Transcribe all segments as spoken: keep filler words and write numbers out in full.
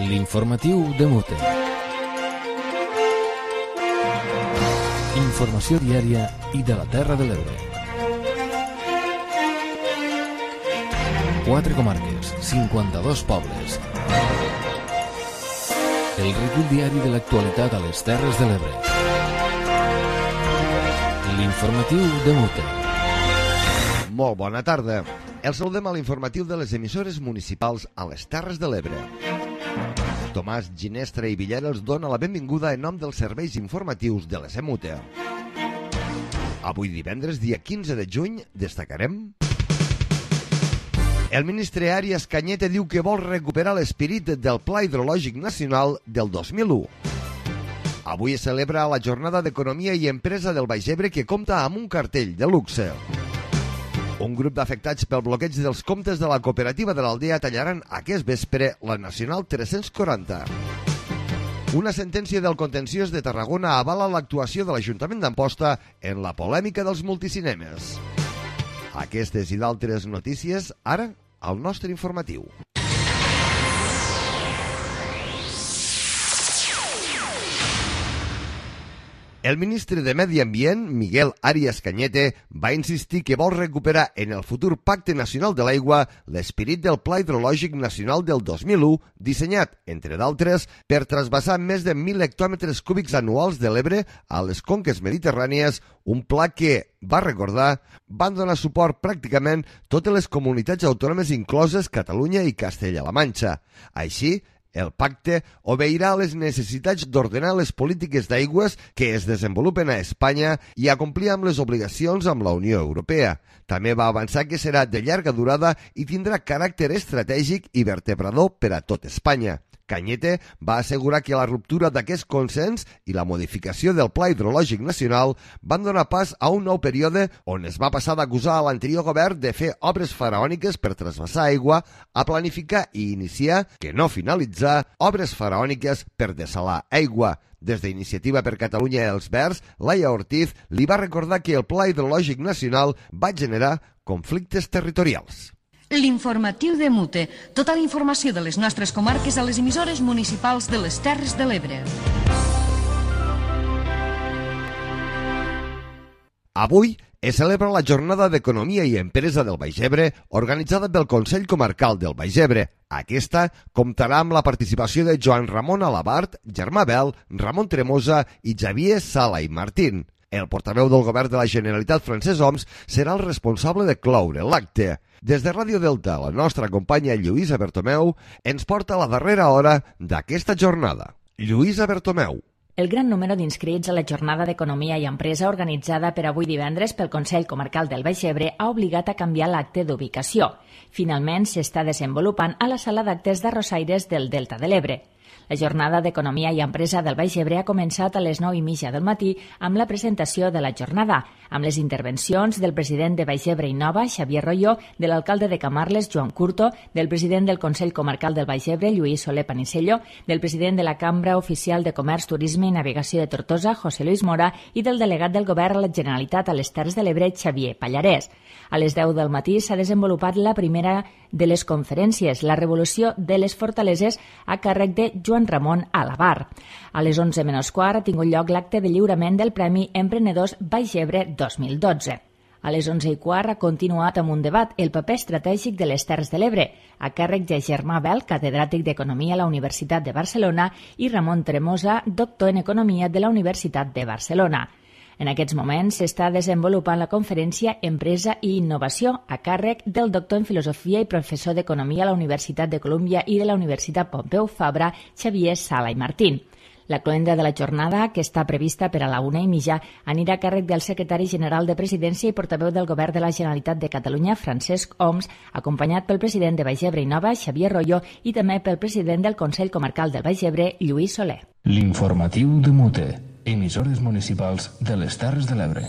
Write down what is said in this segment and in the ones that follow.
L'informatiu de Mute. Informació diària i de la Terra de l'Ebre. Quatre comarques, cinquanta-dos pobles. El recull diari de l'actualitat a les Terres de l'Ebre. L'informatiu de Mute. Molt bona tarda. El saludem a l'informatiu de les emissores municipals a les Terres de l'Ebre. Tomàs Ginestra i Villera els dona la benvinguda en nom dels serveis informatius de l'S M U T E. Avui divendres, dia quinze de juny, destacarem... El ministre Arias Cañete diu que vol recuperar l'esperit del Pla Hidrològic Nacional del dos mil u. Avui es celebra la Jornada d'Economia i Empresa del Baix Ebre, que compta amb un cartell de luxe. Un grup d'afectats pel bloqueig dels comptes de la cooperativa de l'Aldea tallaran aquest vespre la Nacional tres-cents quaranta. Una sentència del contenciós de Tarragona avala l'actuació de l'Ajuntament d'Amposta en la polèmica dels multicinemes. Aquestes i d'altres notícies, ara, al nostre informatiu. El ministre de Medi Ambient, Miguel Arias Cañete, va insistir que vol recuperar en el futur Pacte Nacional de l'Aigua l'esperit del Pla Hidrològic Nacional del dos mil u, dissenyat, entre d'altres, per trasbassar més de mil hectòmetres cúbics anuals de l'Ebre a les conques mediterrànies, un pla que, va recordar, van donar suport pràcticament totes les comunitats autònomes incloses Catalunya i Castella-La Manxa. Així, el pacte obeirà a les necessitats d'ordenar les polítiques d'aigües que es desenvolupen a Espanya i a complir amb les obligacions amb la Unió Europea. També va avançar que serà de llarga durada i tindrà caràcter estratègic i vertebrador per a tot Espanya. Cañete va assegurar que la ruptura d'aquest consens i la modificació del Pla Hidrològic Nacional van donar pas a un nou període on es va passar d'acusar a l'anterior govern de fer obres faraòniques per trasbassar aigua a planificar i iniciar, que no finalitzar, obres faraòniques per dessalar aigua. Des d'Iniciativa per Catalunya i els Verds, Laia Ortiz li va recordar que el Pla Hidrològic Nacional va generar conflictes territorials. L'informatiu de Mute. Tota la informació de les nostres comarques a les emissores municipals de les Terres de l'Ebre. Avui es celebra la Jornada d'Economia i Empresa del Baix Ebre, organitzada pel Consell Comarcal del Baix Ebre. Aquesta comptarà amb la participació de Joan Ramon Alabart, Germà Bel, Ramon Tremosa i Xavier Sala i Martín. El portaveu del govern de la Generalitat, Francesc Homs, serà el responsable de cloure l'acte. Des de Ràdio Delta, la nostra companya Lluïsa Bertomeu ens porta la darrera hora d'aquesta jornada. Lluïsa Bertomeu. El gran número d'inscrits a la Jornada d'Economia i Empresa organitzada per avui divendres pel Consell Comarcal del Baix Ebre ha obligat a canviar l'acte d'ubicació. Finalment s'està desenvolupant a la sala d'actes d'Arrossaires del Delta de l'Ebre. La Jornada d'Economia i Empresa del Baix Ebre ha començat a les nou i mitja del matí amb la presentació de la jornada, amb les intervencions del president de Baix Ebre i Nova, Xavier Royo, de l'alcalde de Camarles, Joan Curto, del president del Consell Comarcal del Baix Ebre, Lluís Soler Panisello, del president de la Cambra Oficial de Comerç, Turisme i Navegació de Tortosa, José Luis Mora, i del delegat del Govern a la Generalitat a les Terres de l'Ebre, Xavier Pallarès. A les deu del matí s'ha desenvolupat la primera de les conferències, la revolució de les fortaleses, a càrrec de Joan Ramon Alabar. A les onze menys quart ha tingut lloc l'acte de lliurament del Premi Emprenedors Baix Ebre dos mil dotze. A les onze i quart ha continuat amb un debat, el paper estratègic de les Terres de l'Ebre, a càrrec de Germà Bel, catedràtic d'Economia a la Universitat de Barcelona, i Ramon Tremosa, doctor en Economia de la Universitat de Barcelona. En aquests moments s'està desenvolupant la conferència Empresa i Innovació a càrrec del doctor en Filosofia i professor d'Economia a la Universitat de Colúmbia i de la Universitat Pompeu Fabra, Xavier Sala i Martín. La cloenda de la jornada, que està prevista per a la una i mitja, anirà a càrrec del secretari general de Presidència i portaveu del Govern de la Generalitat de Catalunya, Francesc Homs, acompanyat pel president de Baix Ebre i Nova, Xavier Royo, i també pel president del Consell Comarcal del Baix Ebre, Lluís Soler. L'informatiu de Mute. Emissores municipals de les Terres de l'Ebre.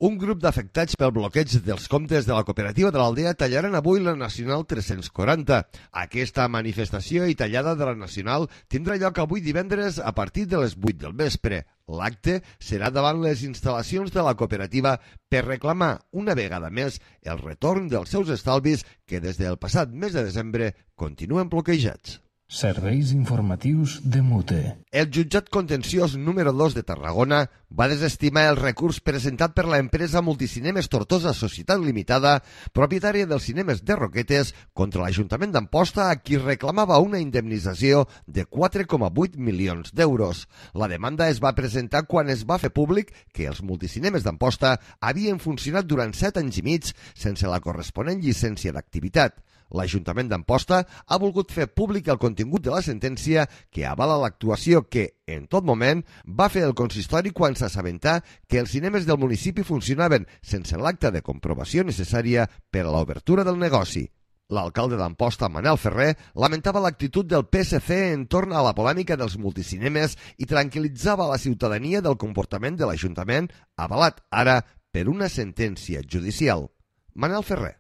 Un grup d'afectats pel bloqueig dels comptes de la cooperativa de l'Aldea tallaran avui la Nacional tres-cents quaranta. Aquesta manifestació i tallada de la Nacional tindrà lloc avui divendres a partir de les vuit del vespre. L'acte serà davant les instal·lacions de la cooperativa per reclamar una vegada més el retorn dels seus estalvis que des del passat mes de desembre continuen bloquejats. Serveis informatius de Mute. El jutjat contenciós número dos de Tarragona va desestimar el recurs presentat per l'empresa Multicinemes Tortosa Societat Limitada, propietària dels cinemes de Roquetes, contra l'Ajuntament d'Amposta, a qui reclamava una indemnització de quatre coma vuit milions d'euros. La demanda es va presentar quan es va fer públic que els multicinemes d'Amposta havien funcionat durant set anys i mig sense la corresponent llicència d'activitat. L'Ajuntament d'Amposta ha volgut fer públic el contingut de la sentència que avala l'actuació que, en tot moment, va fer el consistori quan s'assabentà que els cinemes del municipi funcionaven sense l'acta de comprovació necessària per a l'obertura del negoci. L'alcalde d'Amposta, Manel Ferrer, lamentava l'actitud del P S C entorn a la polèmica dels multicinemes i tranquil·litzava la ciutadania del comportament de l'Ajuntament, avalat ara per una sentència judicial. Manel Ferrer.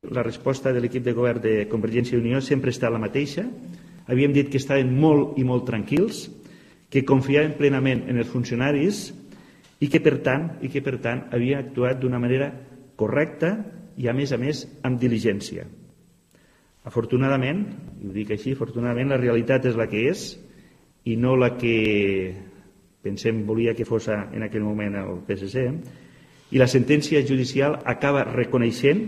La resposta de l'equip de govern de Convergència i Unió sempre està la mateixa. Havíem dit que estaven molt i molt tranquils, que confiaven plenament en els funcionaris i que, per tant, i que, per tant havia actuat d'una manera correcta i, a més a més, amb diligència. Afortunadament, i ho dic així, afortunadament la realitat és la que és i no la que pensem volia que fos en aquell moment el P S C, i la sentència judicial acaba reconeixent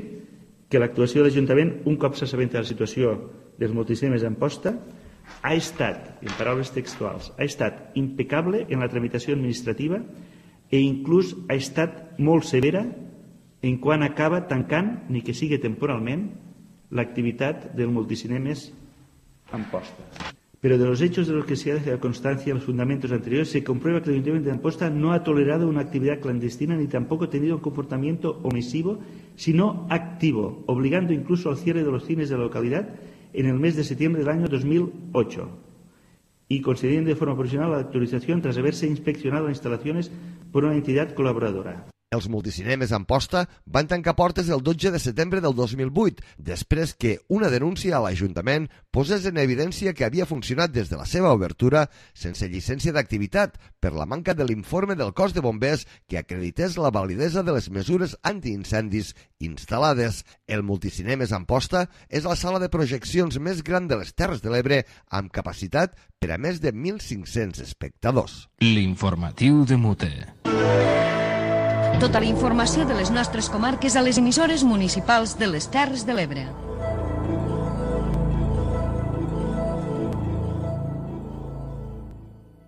que l'actuació de l'Ajuntament, un cop s'assabenta de la situació dels multicinemes d'Amposta, ha estat, en paraules textuals, ha estat impecable en la tramitació administrativa i inclús ha estat molt severa en quan acaba tancant, ni que sigui temporalment, l'activitat del multicinemes Amposta. Pero de los hechos de los que se ha dejado constancia en los fundamentos anteriores se comprueba que el Ayuntamiento de Amposta no ha tolerado una actividad clandestina ni tampoco ha tenido un comportamiento omisivo, sino activo, obligando incluso al cierre de los cines de la localidad en el mes de septiembre del año dos mil ocho y concediendo de forma provisional la autorización tras haberse inspeccionado las instalaciones por una entidad colaboradora. Els multicinemes Amposta van tancar portes el dotze de setembre del dos mil vuit, després que una denúncia a l'Ajuntament posés en evidència que havia funcionat des de la seva obertura sense llicència d'activitat per la manca de l'informe del cos de bombers que acredités la validesa de les mesures antiincendis instal·lades. El Multicinemes Amposta és la sala de projeccions més gran de les Terres de l'Ebre amb capacitat per a més de mil cinc-cents espectadors. L'informatiu de Mute. Tota la informació de les nostres comarques a les emissores municipals de les Terres de l'Ebre.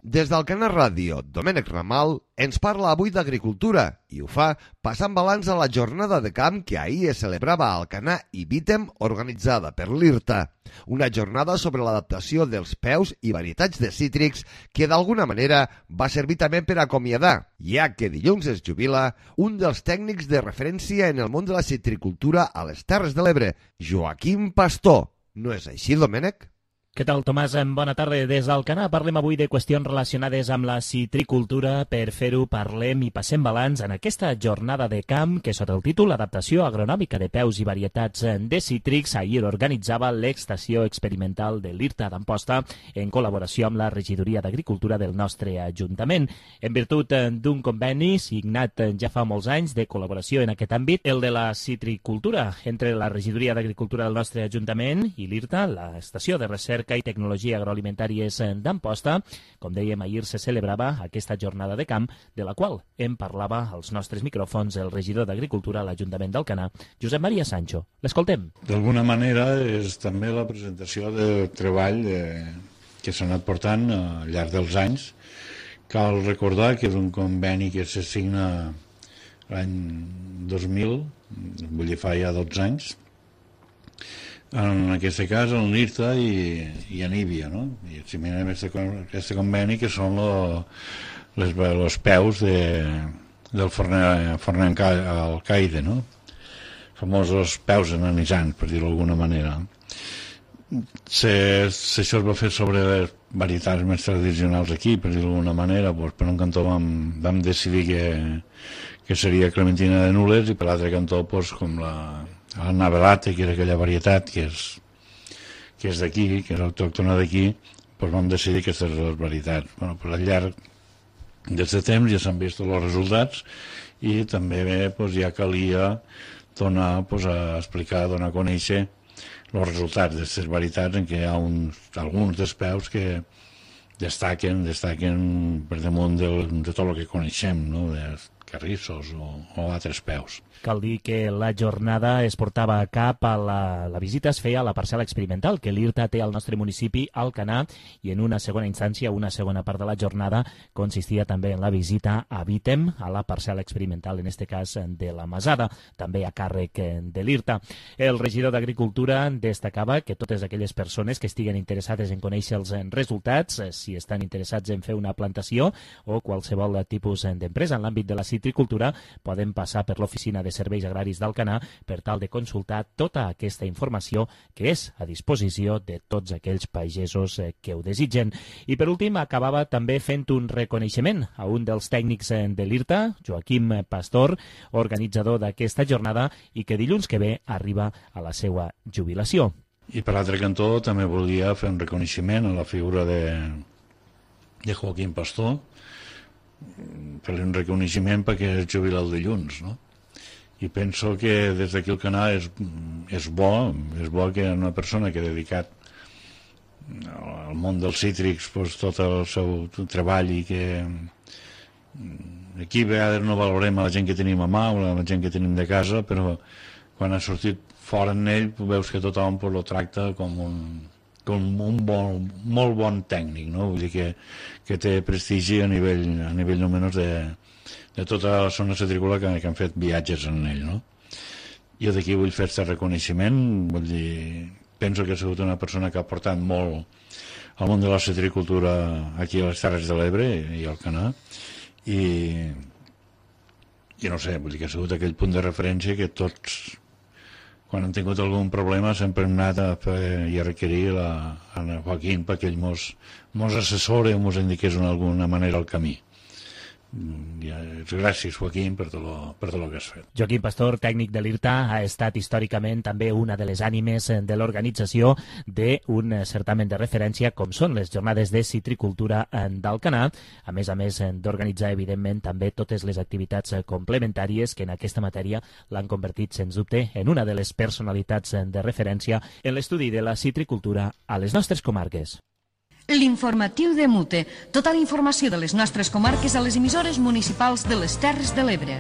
Des d'Alcanar Ràdio, Domènec Ramal ens parla avui d'agricultura i ho fa passant balanç a la jornada de camp que ahir es celebrava a Alcanar i Vítem organitzada per l'I R T A. Una jornada sobre l'adaptació dels peus i varietats de cítrics que d'alguna manera va servir també per acomiadar, ja que dilluns es jubila un dels tècnics de referència en el món de la citricultura a les Terres de l'Ebre, Joaquim Pastor. No és així, Domènec? Què tal, Tomàs? Bona tarda. Des d'Alcanar parlem avui de qüestions relacionades amb la citricultura. Per fer-ho parlem i passem balanç en aquesta jornada de camp que sota el títol Adaptació agronòmica de peus i varietats de cítrics ahir organitzava l'Estació Experimental de l'I R T A d'Amposta en col·laboració amb la Regidoria d'Agricultura del nostre Ajuntament. En virtut d'un conveni signat ja fa molts anys de col·laboració en aquest àmbit, el de la citricultura entre la Regidoria d'Agricultura del nostre Ajuntament i l'I R T A, l'Estació de Recerca i Tecnologia Agroalimentàries d'Amposta. Com dèiem, ahir se celebrava aquesta jornada de camp, de la qual en parlava als nostres micròfons el regidor d'Agricultura a l'Ajuntament d'Alcanar, Josep Maria Sancho. L'escoltem. D'alguna manera és també la presentació del treball de, que s'ha anat portant al llarg dels anys. Cal recordar que és un conveni que se signa l'any dos mil, vull dir fa ja dotze anys, en aquest cas en l'I R T A i, i en Íbia, no? I signem aquest conveni que són lo, les, els peus de, del forner, forner alcaide, no? Famosos peus enanitzants, per dir-ho d'alguna manera. Se, se, això es va fer sobre les varietats més tradicionals aquí, per dir-ho d'alguna manera, doncs per un cantó vam, vam decidir que, que seria clementina de Nules, i per l'altre cantó pues, com la, la navelate, que era aquella varietat que és, que és d'aquí, que és autòctona d'aquí, pues vam decidir aquestes dues varietats. Bueno, pues, al llarg d'aquest temps ja s'han vist els resultats i també bé, pues, ja calia donar, pues, a explicar, donar a conèixer els resultats d'aquestes varietats, en què hi ha uns, alguns dels peus que destaquen, destaquen per damunt del, de tot el que coneixem, no? De carrissos o, o altres peus. Cal dir que la jornada es portava a cap a la, la visita es feia a la parcel·la experimental que l'I R T A té al nostre municipi, Alcanar, i en una segona instància, una segona part de la jornada consistia també en la visita a Vítem, a la parcel·la experimental, en este cas de la Masada, també a càrrec de l'I R T A. El regidor d'Agricultura destacava que totes aquelles persones que estiguen interessades en conèixer els resultats, si estan interessats en fer una plantació o qualsevol tipus d'empresa en l'àmbit de la citricultura, poden passar per l'oficina de de Serveis Agraris d'Alcanar per tal de consultar tota aquesta informació que és a disposició de tots aquells pagesos que ho desitgen. I per últim acabava també fent un reconeixement a un dels tècnics de l'I R T A, Joaquim Pastor, organitzador d'aquesta jornada i que dilluns que ve arriba a la seva jubilació. I per l'altre cantó també volia fer un reconeixement a la figura de, de Joaquim Pastor, fer-li un reconeixement perquè és jubilat el dilluns, no? I penso que des d'aquí el canal és, és bo, és bo que una persona que ha dedicat al món dels cítrics pues, tot el seu treball i que aquí a vegades no valorem a la gent que tenim a mà o a la gent que tenim de casa, però quan ha sortit fora en ell veus que tothom pues, lo tracta com un, com un bon, molt bon tècnic, no? Vull dir que, que té prestigi a nivell, a nivell no menys de de tota la zona citrícola que, que han fet viatges en ell, no? Jo d'aquí vull fer aquest reconeixement, vull dir, penso que ha sigut una persona que ha aportat molt al món de la citricultura aquí a les Terres de l'Ebre i al Alcanar, i, i no sé, vull dir que ha sigut aquell punt de referència que tots, quan han tingut algun problema, sempre hem anat a fer i a requerir la, a Joaquín perquè ell mos, mos assessore o mos indiqués d'alguna manera el camí. Gràcies, Joaquim, per tot, lo, per tot lo que has fet. Joaquim Pastor, tècnic de l'I R T A, ha estat històricament també una de les ànimes de l'organització d'un certamen de referència com són les jornades de citricultura d'Alcanar, a més a més d'organitzar, evidentment, també totes les activitats complementàries que en aquesta matèria l'han convertit, sens dubte, en una de les personalitats de referència en l'estudi de la citricultura a les nostres comarques. L'informatiu de Mute. Tota la informació de les nostres comarques a les emissores municipals de les Terres de l'Ebre.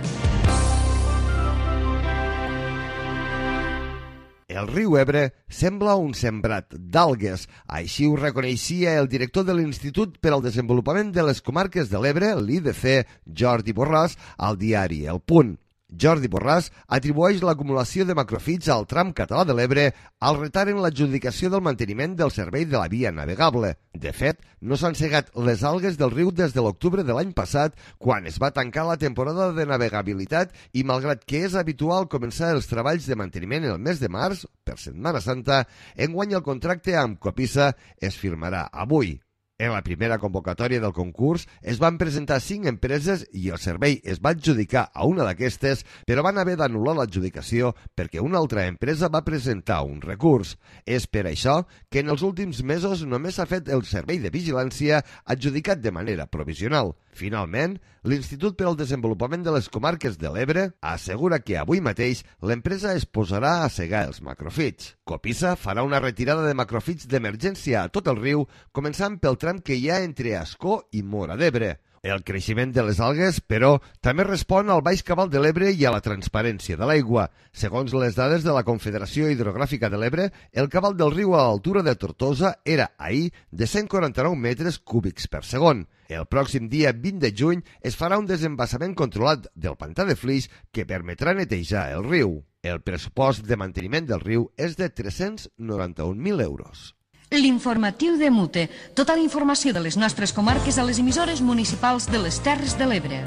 El riu Ebre sembla un sembrat d'algues. Així ho reconeixia el director de l'Institut per al Desenvolupament de les Comarques de l'Ebre, l'I D C, Jordi Borràs, al diari El Punt. Jordi Borràs atribueix l'acumulació de macrofits al tram català de l'Ebre al retard en l'adjudicació del manteniment del servei de la via navegable. De fet, no s'han cegat les algues del riu des de l'octubre de l'any passat, quan es va tancar la temporada de navegabilitat i, malgrat que és habitual començar els treballs de manteniment el mes de març, per Setmana Santa, enguany el contracte amb Copisa es firmarà avui. En la primera convocatòria del concurs es van presentar cinc empreses i el servei es va adjudicar a una d'aquestes, però van haver d'anul·lar l'adjudicació perquè una altra empresa va presentar un recurs. És per això que en els últims mesos només s'ha fet el servei de vigilància adjudicat de manera provisional. Finalment, l'Institut per al Desenvolupament de les Comarques de l'Ebre assegura que avui mateix l'empresa es posarà a segar els macrofits. Copisa farà una retirada de macrofits d'emergència a tot el riu, començant pel tram que hi ha entre Ascó i Móra d'Ebre. El creixement de les algues, però, també respon al baix cabal de l'Ebre i a la transparència de l'aigua. Segons les dades de la Confederació Hidrogràfica de l'Ebre, el cabal del riu a l'altura de Tortosa era ahir de cent quaranta-nou metres cúbics per segon. El pròxim dia vint de juny es farà un desembassament controlat del pantà de Flix que permetrà netejar el riu. El pressupost de manteniment del riu és de tres-cents noranta-un mil euros. L'informatiu de Mute. Tota la informació de les nostres comarques a les emissores municipals de les Terres de l'Ebre.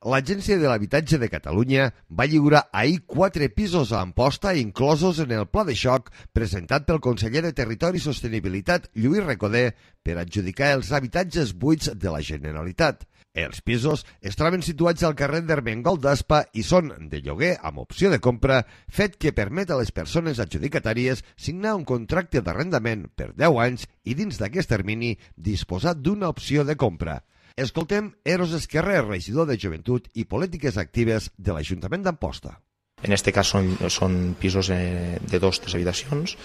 L'Agència de l'Habitatge de Catalunya va lliurar ahir quatre pisos a Amposta inclosos en el pla de xoc presentat pel conseller de Territori i Sostenibilitat, Lluís Recoder, per adjudicar els habitatges buits de la Generalitat. Els pisos es troben situats al carrer d'Ermengol d'Aspa i són de lloguer amb opció de compra, fet que permet a les persones adjudicatàries signar un contracte d'arrendament per deu anys i dins d'aquest termini disposar d'una opció de compra. Escoltem Eros Esquerrer, regidor de Joventut i Polítiques Actives de l'Ajuntament d'Amposta. En aquest cas són, són pisos eh, de dos, tres habitacions,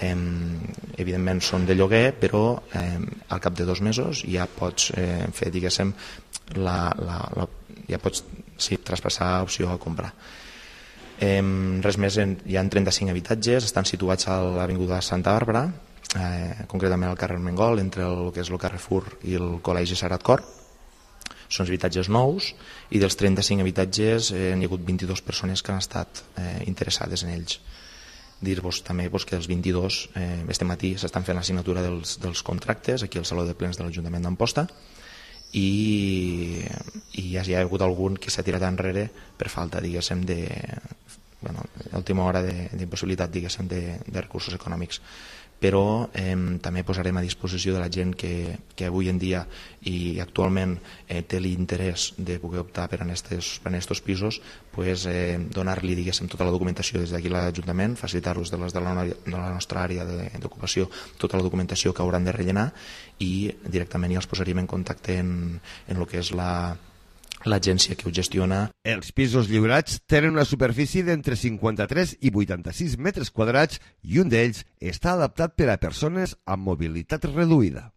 eh, evidentment són de lloguer, però eh, al cap de dos mesos ja pots eh, fer, diguéssim, la, la, la, ja pots sí, traspassar opció a comprar. Eh, res més, en, hi ha trenta-cinc habitatges, estan situats a l'Avinguda Santa Bàrbara, eh, concretament al carrer Mengol, entre el que és el Carrefour i el Col·legi Sagrat Cor. Són habitatges nous i dels trenta-cinc habitatges eh, hi ha hagut vint-i-dues persones que han estat eh, interessades en ells. Dir-vos també pues, que els vint-i-dos, eh, este matí s'estan fent la signatura dels, dels contractes aquí al Saló de Plens de l'Ajuntament d'Amposta i, i ja hi ha hagut algun que s'ha tirat enrere per falta, diguéssim, de bueno, última hora d'impossibilitat, diguéssim, de, de recursos econòmics. Però eh, també posarem a disposició de la gent que, que avui en dia i actualment eh, té l'interès de poder optar per a aquests pisos, pues, eh, donar-li, diguéssim, tota la documentació des d'aquí a l'Ajuntament, facilitar-los de, de, la, de la nostra àrea d'ocupació tota la documentació que hauran de rellenar i directament ja els posaríem en contacte en, en el que és la l'agència que ho gestiona. Els pisos lliurats tenen una superfície d'entre cinquanta-tres i vuitanta-sis metres quadrats i un d'ells està adaptat per a persones amb mobilitat reduïda.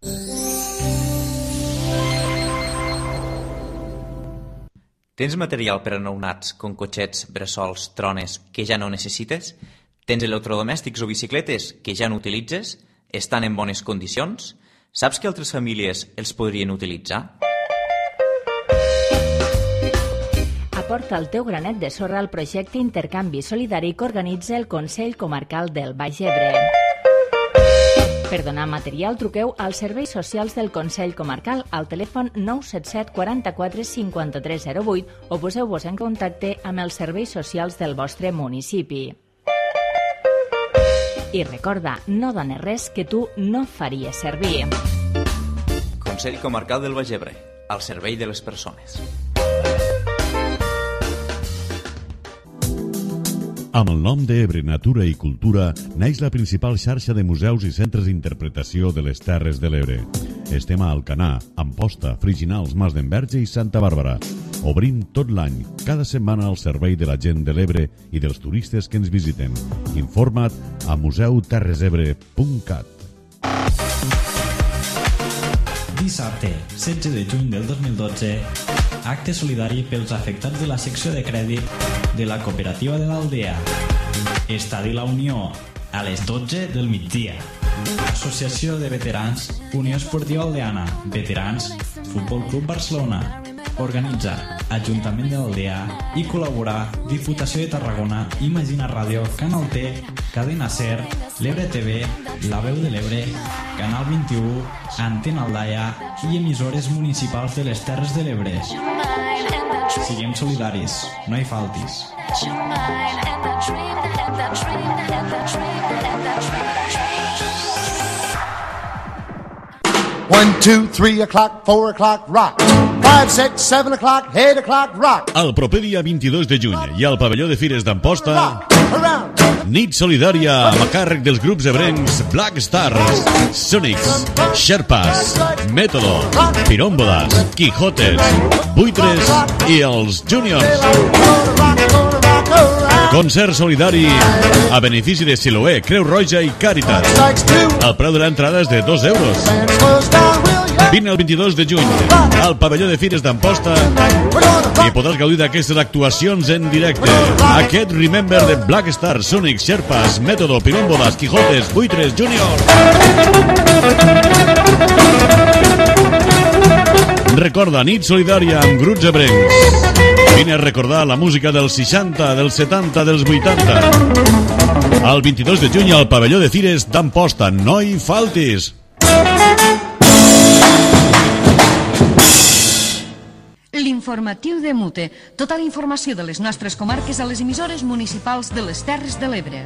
Tens material per a nounats com cotxets, bressols, trones que ja no necessites? Tens electrodomèstics o bicicletes que ja no utilitzes? Estan en bones condicions? Saps que altres famílies els podrien utilitzar? Aporta el teu granet de sorra al projecte Intercanvi Solidari que organitza el Consell Comarcal del Baix Ebre. Per donar material, truqueu als serveis socials del Consell Comarcal al telèfon nou set set quaranta-quatre cinquanta-tres zero vuit o poseu-vos en contacte amb els serveis socials del vostre municipi. I recorda, no dones res que tu no faries servir. Consell Comarcal del Baix Ebre, al servei de les persones. Amb el nom d'Ebre Natura i Cultura naix la principal xarxa de museus i centres d'interpretació de les Terres de l'Ebre. Estem a Alcanar, Amposta, Friginals, Mas d'Enverge i Santa Bàrbara. Obrim tot l'any, cada setmana al servei de la gent de l'Ebre i dels turistes que ens visiten. Informa't a museu terres ebre punt cat. Dissabte, setze de juny del dos mil dotze, acte solidari pels afectats de la secció de crèdit de la cooperativa de l'Aldea. Estadi La Unió, a les dotze del migdia. Associació de Veterans, Unió Esportiva Aldeana, Veterans, Futbol Club Barcelona. Organitza Ajuntament de l'Aldea i col·laborar Diputació de Tarragona, Imagina Ràdio, Canal T, Cadena Ser, l'Ebre T V, La Veu de l'Ebre, Canal vint-i-u, Antena Aldaia i emissores municipals de les Terres de l'Ebre. Siguem solidaris, no hi faltis. One, two, three o'clock, four o'clock, rock. Five, six, seven o'clock, eight o'clock, rock. El proper dia vint-i-dos de juny i al pavelló de Fires d'Amposta, nit solidària amb a càrrec dels grups ebrencs Black Stars, Sonics, Sherpas, Método, Pirómbodas, Quijotes, Buitres i els Juniors. Concert solidari a benefici de Siloé, Creu Roja i Càritas. El preu de l'entrada és de dos euros. Vine el vint-i-dos de juny al pavelló de Fires d'Amposta i podràs gaudir d'aquestes actuacions en directe. Aquest Remember de Black Stars, Sonic, Sherpas, Método, Pirómbodas, Quijotes, Buitres, Junior. Recorda, nit solidària amb grups ebrencs. Vine a recordar la música dels seixanta, dels setanta, dels vuitanta. El vint-i-dos de juny al pavelló de Fires d'Amposta. No hi faltis! L'informació L'informatiu de Mute. Tota la informació de les nostres comarques a les emissores municipals de les Terres de l'Ebre.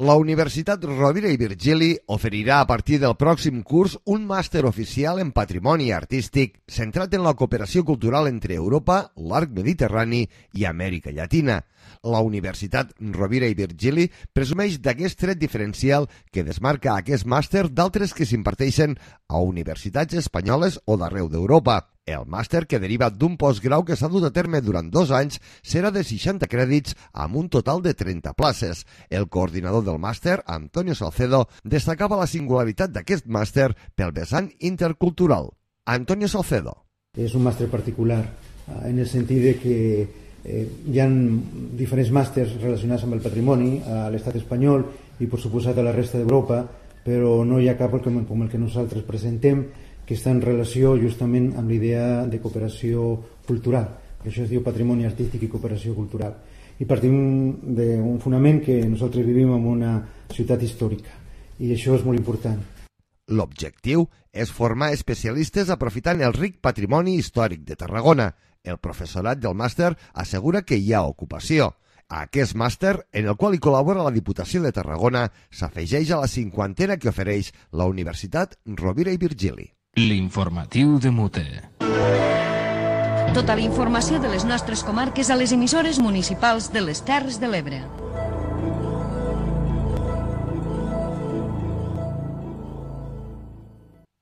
La Universitat Rovira i Virgili oferirà a partir del pròxim curs un màster oficial en patrimoni artístic centrat en la cooperació cultural entre Europa, l'arc mediterrani i Amèrica Llatina. La Universitat Rovira i Virgili presumeix d'aquest tret diferencial que desmarca aquest màster d'altres que s'imparteixen a universitats espanyoles o d'arreu d'Europa. El màster, que deriva d'un postgrau que s'ha dut a terme durant dos anys, serà de seixanta crèdits amb un total de trenta places. El coordinador del màster, Antonio Salcedo, destacava la singularitat d'aquest màster pel vessant intercultural. Antonio Salcedo. És un màster particular en el sentit de que eh, hi ha diferents màsters relacionats amb el patrimoni a l'estat espanyol i, per suposat, a la resta d'Europa, però no hi ha cap com el que nosaltres presentem que està en relació justament amb l'idea de cooperació cultural. Per això es diu patrimoni artístic i cooperació cultural. I partim d'un fonament que nosaltres vivim en una ciutat històrica i això és molt important. L'objectiu és formar especialistes aprofitant el ric patrimoni històric de Tarragona. El professorat del màster assegura que hi ha ocupació. A aquest màster, en el qual hi col·labora la Diputació de Tarragona, s'afegeix a la cinquantena que ofereix la Universitat Rovira i Virgili. L'informatiu de Mute. Tota la informació de les nostres comarques a les emissores municipals de les Terres de l'Ebre.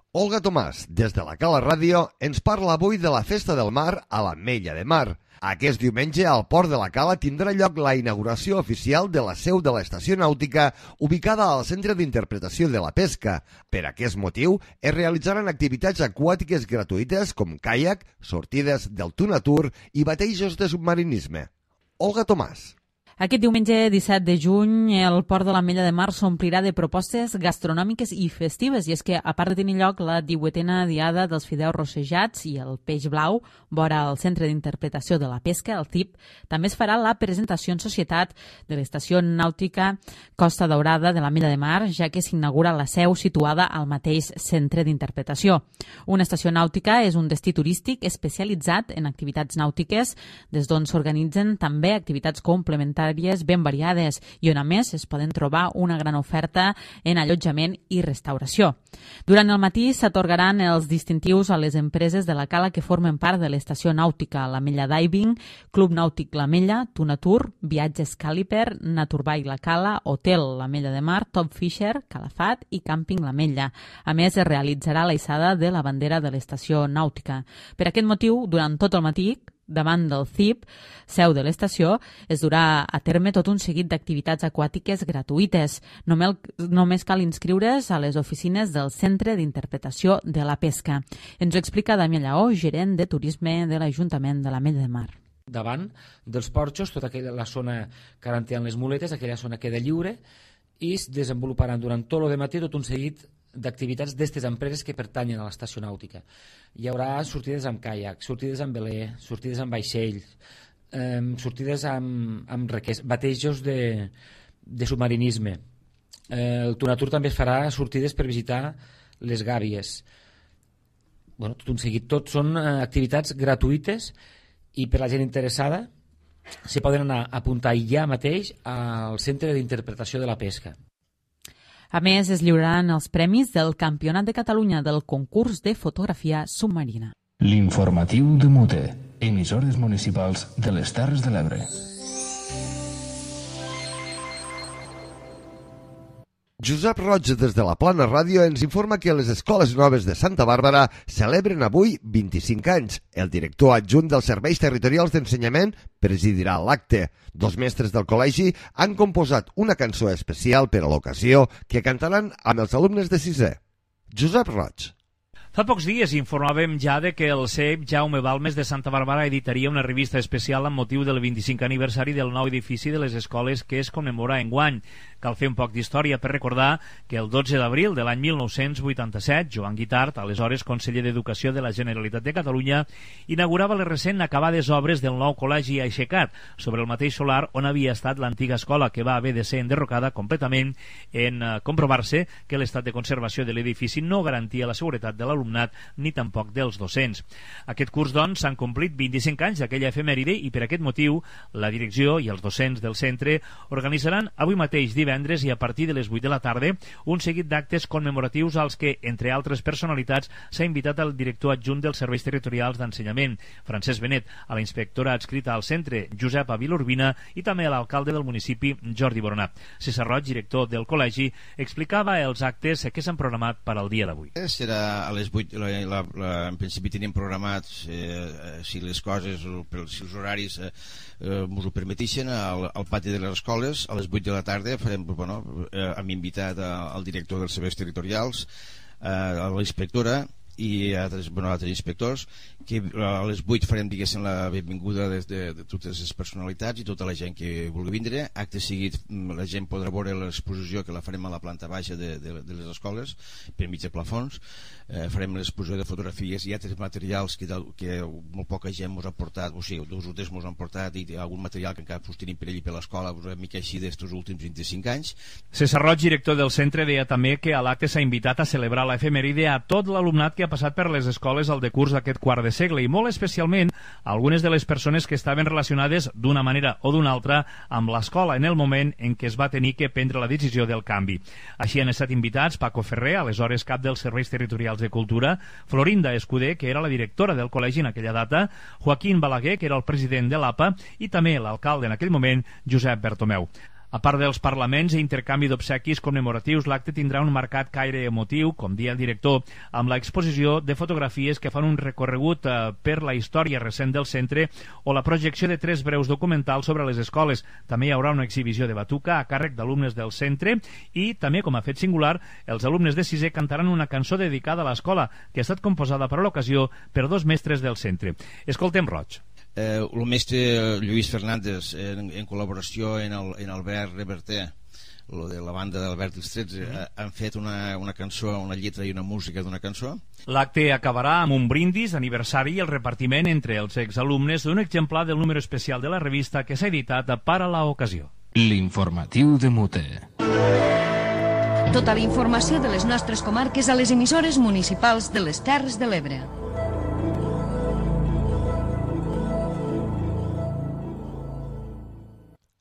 Olga Tomàs, des de la Cala Ràdio, ens parla avui de la Festa del Mar a l'Ametlla de Mar. Aquest diumenge al Port de la Cala tindrà lloc la inauguració oficial de la seu de l'estació nàutica ubicada al Centre d'Interpretació de la Pesca. Per aquest motiu es realitzaran activitats aquàtiques gratuïtes com caiac, sortides del Tunatur i batejos de submarinisme. Olga Tomàs. Aquest diumenge disset de juny el Port de l'Ametlla de Mar s'omplirà de propostes gastronòmiques i festives, i és que, a part de tenir lloc la divuitena diada dels fideus rossejats i el peix blau vora el Centre d'Interpretació de la Pesca, el C I P, també es farà la presentació en societat de l'estació nàutica Costa Daurada de l'Ametlla de Mar, ja que s'inaugura la seu situada al mateix Centre d'Interpretació. Una estació nàutica és un destí turístic especialitzat en activitats nàutiques, des d'on s'organitzen també activitats complementàries ben variades i on a més es poden trobar una gran oferta en allotjament i restauració. Durant el matí s'atorgaran els distintius a les empreses de la Cala que formen part de l'estació nàutica, l'Ametlla Diving, Club Nàutic l'Ametlla, Tunatur, Viatges Càliper, Naturbay la Cala, Hotel l'Ametlla de Mar, Top Fisher, Calafat i Càmping l'Ametlla. A més, es realitzarà la hissada de la bandera de l'estació nàutica. Per aquest motiu, durant tot el matí, davant del C I P, seu de l'estació, es durà a terme tot un seguit d'activitats aquàtiques gratuïtes. Només, només cal inscriure's a les oficines del Centre d'Interpretació de la Pesca. Ens ho explica Damià Lleó, gerent de turisme de l'Ajuntament de l'Ametlla de Mar. Davant dels porxos, tota aquella la zona que ara tenen les muletes, aquella zona queda lliure i es desenvoluparan durant tot el matí tot un seguit d'activitats d'aquestes empreses que pertanyen a l'estació nàutica. Hi haurà sortides amb caiac, sortides amb veler, sortides amb vaixell, eh, sortides amb, amb requers, batejos de, de submarinisme. Eh, el Tunatur també farà sortides per visitar les gàbies. Bueno, tot un seguit. Tot són eh, activitats gratuïtes i per la gent interessada s'hi poden anar a apuntar ja mateix al Centre d'Interpretació de la Pesca. A més, es lliuraran els premis del Campionat de Catalunya del concurs de fotografia submarina. L'informatiu de Mute, emissores municipals de les Terres de l'Ebre. Josep Roig, des de la Plana Ràdio, ens informa que les Escoles Noves de Santa Bàrbara celebren avui vint-i-cinc anys. El director adjunt dels Serveis Territorials d'Ensenyament presidirà l'acte. Dos mestres del col·legi han composat una cançó especial per a l'ocasió que cantaran amb els alumnes de sisè. Josep Roig. Fa pocs dies informàvem ja de que el C E P Jaume Balmes de Santa Bàrbara editaria una revista especial amb motiu del vint-i-cinquè aniversari del nou edifici de les escoles que es commemora enguany. Cal fer un poc d'història per recordar que el dotze d'abril de l'any mil nou-cents vuitanta-set, Joan Guitart, aleshores conseller d'Educació de la Generalitat de Catalunya, inaugurava les recent acabades obres del nou col·legi aixecat sobre el mateix solar on havia estat l'antiga escola, que va haver de ser enderrocada completament en uh, comprovar-se que l'estat de conservació de l'edifici no garantia la seguretat de l'alumnat l'alumnat ni tampoc dels docents. Aquest curs, doncs, s'han complit vint-i-cinc anys d'aquella efemèride i per aquest motiu la direcció i els docents del centre organitzaran avui mateix divendres i a partir de les vuit de la tarda un seguit d'actes commemoratius als que, entre altres personalitats, s'ha invitat el director adjunt dels serveis territorials d'ensenyament, Francesc Benet, a la inspectora adscrita al centre, Josep Vilurbina, i també a l'alcalde del municipi, Jordi Boronat. César Roig, director del col·legi, explicava els actes que s'han programat per al dia d'avui. Serà a les vuit, la, la, la, en principi tenim programats, eh, si les coses, si els horaris eh, eh, ens ho permetixen, al, al pati de les escoles, a les vuit de la tarda farem, bueno, eh, hem invitat al director dels serveis territorials, eh, a la inspectora i a altres, bueno, altres inspectors, que a les vuit farem, diguéssim, la benvinguda de, de, de totes les personalitats i tota la gent que vulgui vindre. Acte seguit la gent podrà veure l'exposició, que la farem a la planta baixa de, de, de les escoles per mig de plafons. Eh, farem l'exposició de fotografies i altres materials que, que molt poca gent ens ha portat, o sigui, dos o tres ens han portat, i algun material que encara us tenim per allà per l'escola, una mica així d'estos últims vint-i-cinc anys. César Roig, director del centre, deia també que a l'acte s'ha invitat a celebrar l'efemèride a tot l'alumnat que ha passat per les escoles al decurs d'aquest quart de segle i molt especialment a algunes de les persones que estaven relacionades d'una manera o d'una altra amb l'escola en el moment en què es va tenir que prendre la decisió del canvi. Així han estat invitats Paco Ferrer, aleshores cap dels serveis territorials de cultura, Florinda Escudé, que era la directora del col·legi en aquella data, Joaquín Balaguer, que era el president de l'A P A, i també l'alcalde en aquell moment, Josep Bertomeu. A part dels parlaments i intercanvi d'obsequis commemoratius, l'acte tindrà un marcat caire emotiu, com dia el director, amb l'exposició de fotografies que fan un recorregut eh, per la història recent del centre o la projecció de tres breus documentals sobre les escoles. També hi haurà una exhibició de batuca a càrrec d'alumnes del centre i també, com a fet singular, els alumnes de sisè cantaran una cançó dedicada a l'escola, que ha estat composada per a l'ocasió per dos mestres del centre. Escoltem Roig. Eh, el mestre Lluís Fernández, en, en col·laboració en, el, en Albert Reverter, lo de la banda d'Albert els tretze, mm. han fet una, una cançó, una lletra i una música d'una cançó. L'acte acabarà amb un brindis d'aniversari i el repartiment entre els exalumnes d'un exemplar del número especial de la revista que s'ha editat per a l'ocasió. L'informatiu de Mute. Tota la informació de les nostres comarques a les emissores municipals de les Terres de l'Ebre.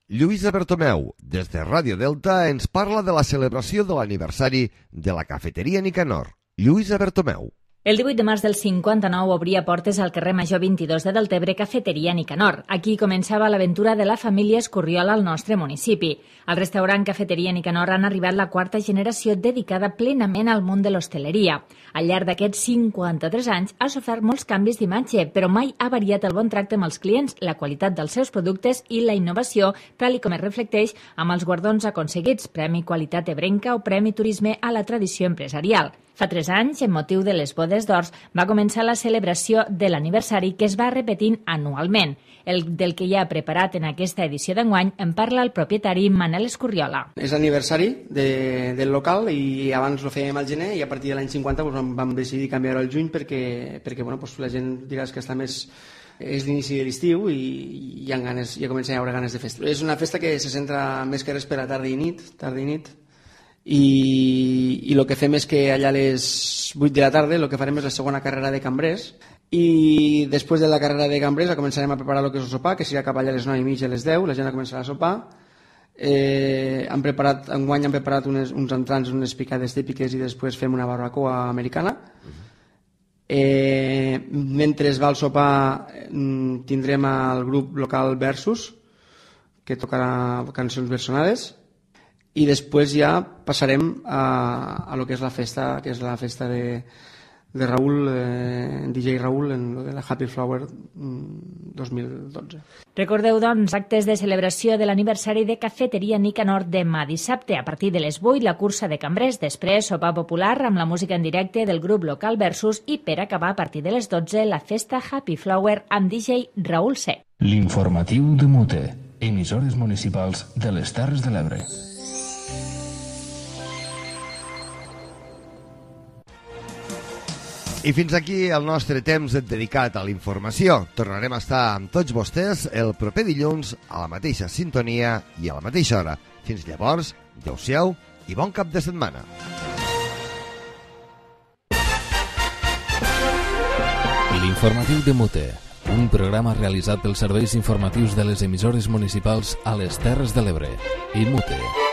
Lluïsa Bertomeu, des de Ràdio Delta, ens parla de la celebració de l'aniversari de la cafeteria Nicanor. Lluïsa Bertomeu. El divuit de març del cinquanta-nou obria portes al carrer Major vint-i-dos de Deltebre Cafeteria Nicanor. Aquí començava l'aventura de la família Escurriola al nostre municipi. Al restaurant Cafeteria Nicanor han arribat la quarta generació dedicada plenament al món de l'hostaleria. Al llarg d'aquests cinquanta-tres anys ha sofert molts canvis d'imatge, però mai ha variat el bon tracte amb els clients, la qualitat dels seus productes i la innovació, tal com es reflecteix amb els guardons aconseguits, Premi Qualitat Ebrenca o Premi Turisme a la Tradició Empresarial. Fa tres anys, en motiu de les bodes d'Ors, va començar la celebració de l'aniversari que es va repetint anualment. El del que hi ha preparat en aquesta edició d'enguany en parla el propietari Manel Escurriola. És l'aniversari de, del local i abans ho fèiem al gener i a partir de l'any cinquanta doncs, vam decidir canviar-ho al juny perquè, perquè bueno, doncs, la gent digués que està més... és l'inici de l'estiu i hi ha ganes, ja comença a haver ganes de festa. És una festa que se centra més que res per a tarda i nit, tarda i nit, i, i el que fem és que allà a les vuit de la tarda el que farem és la segona carrera de cambrers i després de la carrera de cambrers començarem a preparar el que és el sopar, que serà cap allà a les nou i mitja a les deu, la gent començarà a sopar. Eh, han preparat, enguany han preparat unes, uns entrants, unes picades típiques i després fem una barbacoa americana. Eh, mentre es va al sopar tindrem el grup local Versus, que tocarà cançons versionades, i després ja passarem a, a lo que és la festa, que és la festa de, de Raúl, eh, D J Raúl, en lo de la Happy Flower dos mil dotze. Recordeu, doncs, actes de celebració de l'aniversari de Cafeteria Nicanor demà dissabte a partir de les vuit, la cursa de cambrers, després sopar popular amb la música en directe del grup local Versus i per acabar a partir de les dotze la festa Happy Flower amb D J Raúl C. L'informatiu de Mute, emissores municipals de les Terres de l'Ebre. I fins aquí el nostre temps dedicat a la informació. Tornarem a estar amb tots vostès el proper dilluns a la mateixa sintonia i a la mateixa hora. Fins llavors, adeu-siau i bon cap de setmana. L'informatiu de Mute, un programa realitzat pels serveis informatius de les emissores municipals a les Terres de l'Ebre i Mute.